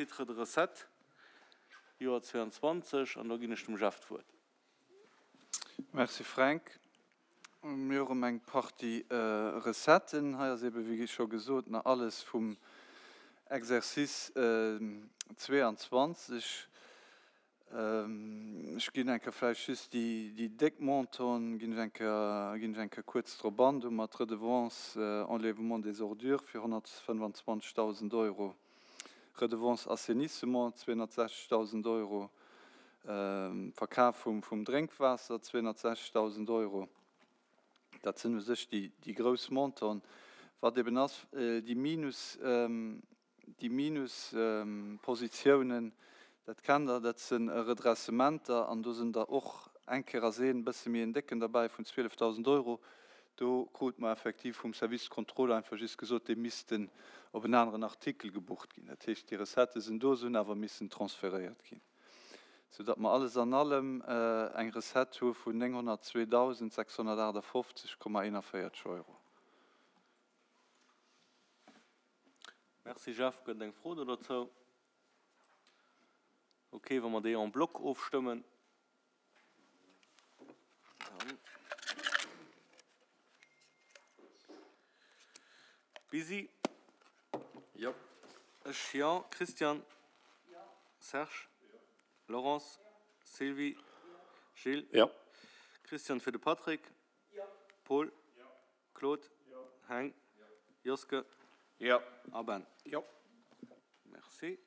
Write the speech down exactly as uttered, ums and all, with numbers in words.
Titres de recettes, Joer zweiundzwanzeg, an do ginn ech dem Jeff d'Wuert. Merci Fränk. Mir hu rëm eng Partie Recetten. Hei ass ebe wéi scho gesot nach alles vum Exercice zweeanzwanzeg. Ech ginn eng Kéier vläicht just déi déi déck Montanten, ginn ech eng Kéier ginn ech eng Kéier kuerz drop an. Do hu mer d'Redevance enlèvement des ordures fir honnertfënnwanzwanzegdausend Euro, Redevance assainissement zweehunnertsechzegdausend Euro, Verkaf vum vum Drénkwaasser zweehunnertsechzegdausend Euro. Dat sinn u sech déi déi grouss Montanten. Wat eben ass, déi Minus déi Minuspositiounen, dat kennt Der, dat si Redressementer an do sinn der och eng Kéier ass een e bësse méi en décken derbäi vun zwielefdausend Euro. Do krute mer effektiv vum Service de contrôle einfach just gesot, déi missten op en aneren Artikel gebucht ginn. Dat heescht, déi Recettë sinn do, se hunn awer missen transferéiert ginn, soudatt mer alles an allem eng Recette hu vun nénghonnertzweedausendsechshonnertaachtafofzeg Komma eenanvéierteg Euro. Merci Jeff. Gëtt et eng Fro do dozou? Ok, wa mer déi en bloc ofstëmmen, dann. Busy? Jo. Ech jo. Christian? Serge? Laurence? Sylvie? Gilles? Jo. Christian fir de Patrick? Paul? Claude? Heng? Joske? Jo. A Ben? Jo. Merci.